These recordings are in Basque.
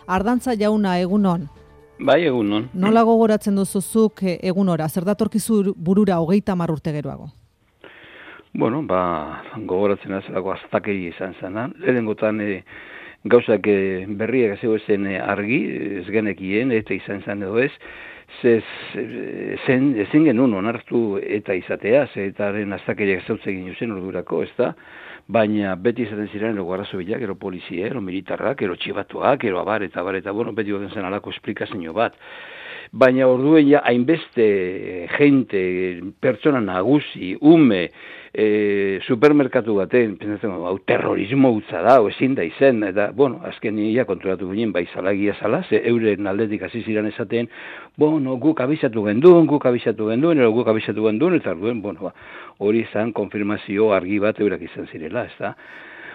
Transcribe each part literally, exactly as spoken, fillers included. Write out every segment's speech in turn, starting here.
Ardantza jauna, egunon. Bai, egunon. Nola gogoratzen duzuzuk egunora, zer datorkizu burura hogeita hamar urte geroago? Bueno, ba, gogoratzen azalako aztakeri izan zena. Lehenengotan e, gauzak e, berriak zegoezen e, argi, ez genekien, eta izan zen edo ez, zez, zen, ezin genuen onartu eta izatea, zetaren aztakeriak zautzegin zen ordurako, ez da? Baina beti izaten ziren ero garrazobilak, ero polizia, ero militarrak, ero txibatuak, ero abar eta abar eta, bueno, beti goten zen alako esplikazio bat. Baina orduen ja hainbeste jente, pertsona nagusi, ume, e, supermerkatu baten, pentsatzen, hau terrorismo utza da, o ezin da izen, eta, bueno, azken ia kontrolatu ginen, bai zalagia zala, ze euren aldetik hasi ziren esaten, bueno, guk abizatu genduen, guk abizatu genduen, ero guk abizatu genduen, eta orduen, bueno, ba, hori izan konfirmazio argi bat eurak izan zirela, ez da?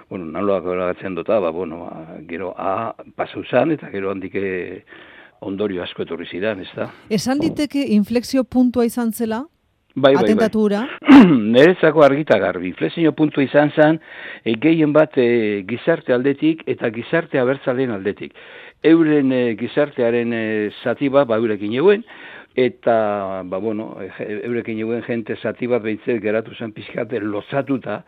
Bueno, naloak horagatzen dota, ba, bueno, ba, gero A pasau zan, eta gero handike ondorio asko etorri zidan, ez da? Esan diteke inflexio puntua izan zela? Bai, bai, atentatura? Bai. Nerezako argita garbi. Inflexio puntua izan zan, e, gehien bat e, gizarte aldetik eta gizarte abertzaleen aldetik. Euren e, gizartearen e, zati bat, ba, eurekin eguen, eta, ba, bueno, eurekin eguen jente zati bat behintzet geratu zen pizkate lozatuta,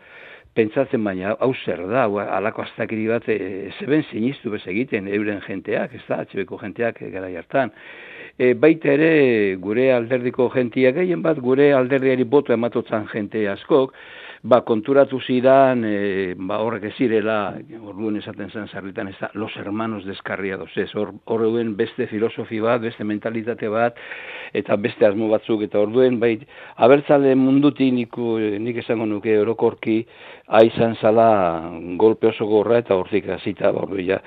pentsatzen baina, hau zer da, alako aztakiri bat, e, zeben sinistu bez egiten, euren jenteak, ez da, atxebeko jenteak e, gara jartan. E, baita ere, gure alderdiko jentia gehien bat, gure alderdiari boto ematotzan jente askok, ba, konturatu zidan, e, ba, horrek ez zirela, orduen esaten zen zarritan, ez da, los hermanos descarriados, ez, horreuen beste filosofi bat, beste mentalitate bat, eta beste asmo batzuk, eta orduen, bai, abertzale mundutik niku, nik esango nuke orokorki, aizan zala golpe oso gorra, eta hortik hasita, ordu, ja,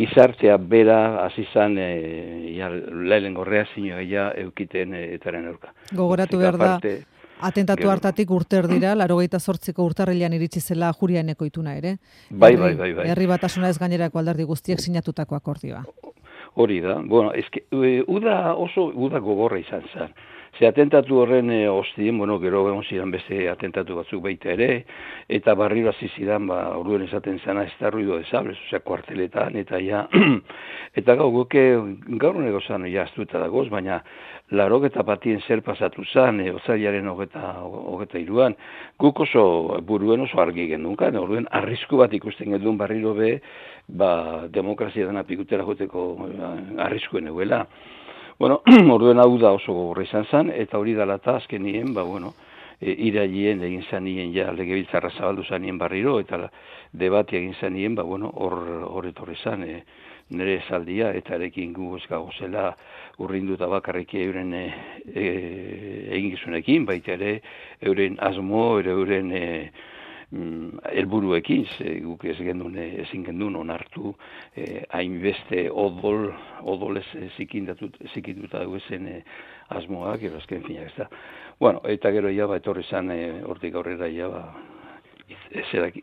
gizartea bera, azizan, e, ja, lehen gorrea zinua, ja, eukiten e, etaren aurka. Gogoratu behar da, atentatu gero hartatik urter dira, laurogeita zortziko urtarrilean iritsi zela Juriaineko ituna ere. Bai, bai, bai, bai. Herri batasuna ez gainerako alderdi guztiek sinatutako akordioa. Hori da, bueno, eske, uda oso, uda gogorra izan zen. Ze atentatu horren e, ostien, bueno, gero egon zidan beste atentatu batzuk baita ere, eta barriro hasi zidan, ba, orduen esaten zena ez da ruido de sables, osea, kuarteletan, eta ja, eta gau, guke, gaur nego zan, ja, astuta dagoz, baina, larok eta batien zer pasatu zan, e, otzaiaren hogeta, hogeta iruan, guk oso buruen oso argi gendukan, orduen arrisku bat ikusten gendun barriro be, ba, demokrazia dena pikutera joteko arriskuen eguela. Bueno, orduen hau da oso gogorra izan zen, eta hori dela eta azkenien, ba, bueno, e, irailien egin zanien, ja, legebiltzarra zabaldu zanien barriro, eta debati egin zanien, ba, bueno, hor, hor etorri zan, e, nire esaldia, eta erekin gu ez gagozela urrinduta bakarriki euren e, e, egin gizunekin, baita ere, euren asmo, euren e, helburuekin, guk ez gendun, ezin gendun onartu, eh, hainbeste odol, odolez zikituta duezen eh, asmoak, ero azken finak ez da. Bueno, eta gero ja, ba, etorri zan, eh, hortik aurrera ja, ba, ezerak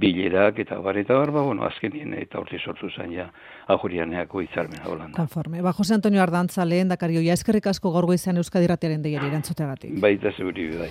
bilerak eta bar, eta bar, ba, bueno, azkenien eta hortik sortu zen ja, Ajurianeako hitzarmena Holanda. Konforme. Ba, Jose Antonio Ardantza, lehen dakario, ja eskerrik asko gaur goizean Euskadi Irratiaren deiari erantzuteagatik. Baita zeburi bai.